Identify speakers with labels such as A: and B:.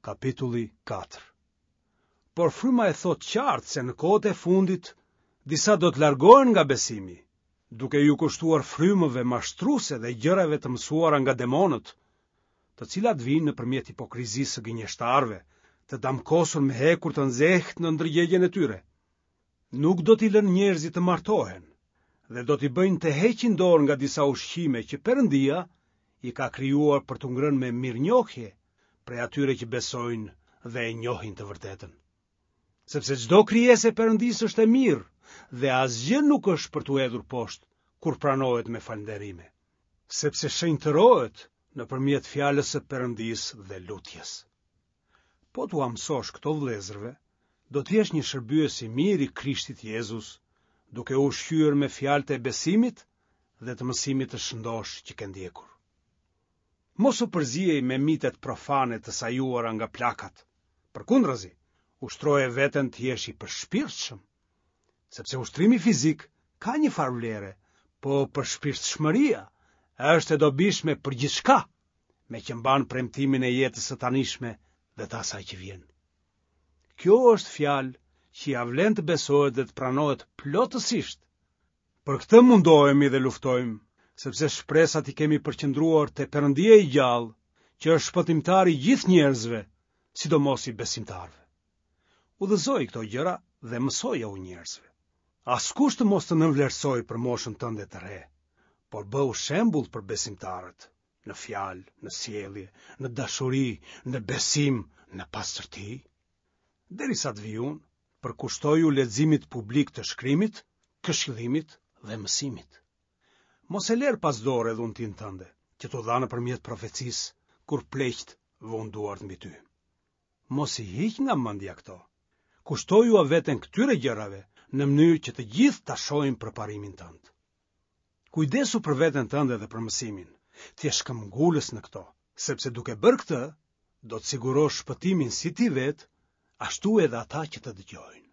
A: Kapitulli 4 Por fryma e thotë qartë se në kohët e fundit disa do të largohen nga besimi, duke iu kushtuar frymëve mashtruese dhe gjërave të mësuara nga demonët, të cilat vijnë nëpërmjet hipokrizisë së gënjeshtarëve, të damkosur me hekur të nxehtë në ndërgjegjen e tyre. Nuk do t'i lënë njerëzit të martohen dhe do t'i bëjnë të heqin dorë nga disa ushqime që Perëndia i ka krijuar për t'u ngrënë me mirënjohje prej atyre që besojnë dhe e njohin të vërtetën. Sepse çdo krijesë e Perëndisë është e mirë dhe asgjë nuk është për t'u hedhur poshtë kur pranohet me falënderime, sepse shenjtërohet nëpërmjet fjalës së Perëndisë dhe lutjes. Po t'ua mësosh këto vëllezërve, do të jesh një shërbyes i mirë i Krishtit Jezus, duke u ushqyer me fjalët e besimit dhe të mësimit të shëndoshë që ke ndjekur. Mos u përziej me mitet profane të sajuara nga plakat. Përkundrazi, ushtroje veten të jesh i përshpirtshëm, sepse ushtrimi fizik ka një farë vlere, po përshpirtshmëria është e dobishme për gjithçka. meqë mban premtimin e jetës së tanishme dhe të asaj që vjen. Kjo është fjalë që ia vlen të besohet dhe të pranohet plotësisht. Për këtë mundohemi dhe luftojmë, sepse shpresat i kemi përqendruar te Perëndia i gjallë, që është shpëtimtar i gjithë njerëzve, sidomos i besimtarëve. Udhëzoji këto gjëra dhe mësojau njerëzve. Askush të mos të nënvlerësojë për moshën tënde të re, por bëhu shembull për besimtarët, në fjalë, në sjellje, në dashuri, në besim, në pastërti. Derisa të vij unë, përkushtoju leximit publik të shkrimit, këshillimit dhe mësimit. Mos e lër pas dore dhuntinë tënde, që t'u dha nëpërmjet profecisë, kur pleqtë vunë duart mbi ty. Mos i hiq nga mendja këto. Kushtojua veten këtyre gjërave në mënyrë që të gjithë ta shohin përparimin tënd. Kujdesu për veten tënde dhe për mësimin, të jesh këmbëngulës në këto, sepse duke bërë këtë, do të sigurosh shpëtimin si ti vetë, ashtu edhe ata që të dëgjojnë.